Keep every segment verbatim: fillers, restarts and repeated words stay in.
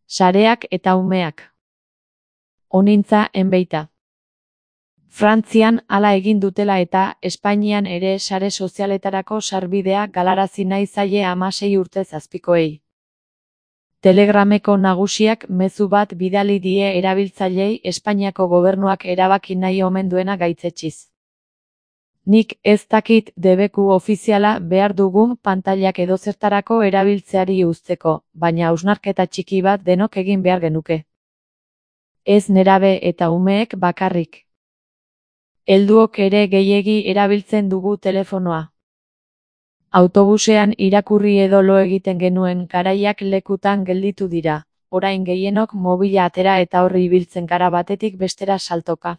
Sareak eta umeak. Onintza enbeita. Frantzian hala egin dutela eta Espainian ere sare sozialetarako sarbidea galarazi nahi zaie hamasei urtez azpikoei. Telegrameko nagusiak mezu bat bidali die erabiltzaileei Espainiako gobernuak erabaki nahi omen duena gaitzetsiz. Nik ez dakit debeku ofiziala behar dugun pantailak edozertarako erabiltzeari uzteko, baina hausnarketa txiki bat denok egin behar genuke. Ez nerabe eta umeek bakarrik. Helduok ere gehiegi erabiltzen dugu telefonoa. Autobusean irakurri edo lo egiten genuen garaiak lekutan gelditu dira, orain gehienok mobila atera eta horri ibiltzen gara batetik bestera saltoka.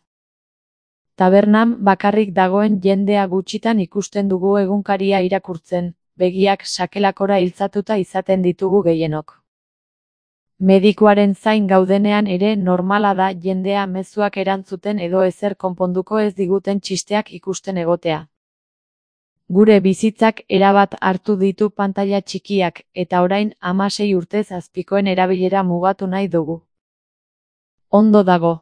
Tabernan bakarrik dagoen jendea gutxitan ikusten dugu egunkaria irakurtzen, begiak sakelakora iltzatuta izaten ditugu gehienok. Medikuaren zain gaudenean ere normala da jendea mezuak erantzuten edo ezer konponduko ez diguten txisteak ikusten egotea. Gure bizitzak erabat hartu ditu pantaila txikiak, eta orain hamasei urtez azpikoen erabilera mugatu nahi dugu. Ondo dago.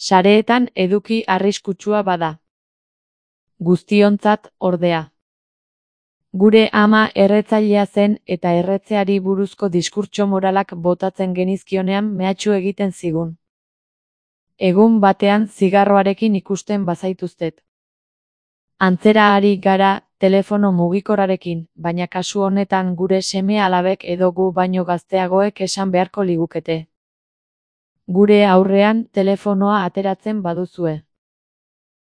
Sareetan eduki arriskutsua bada. Guztiontzat, ordea. Gure ama erretzailea zen eta erretzeari buruzko diskurtso moralak botatzen genizkionean mehatxu egiten zigun. Egun batean zigarroarekin ikusten bazaituztet. Antzera ari gara telefono mugikorrarekin, baina kasu honetan gure seme-alabek edo gu baino gazteagoek esan beharko ligukete. Gure aurrean telefonoa ateratzen baduzue.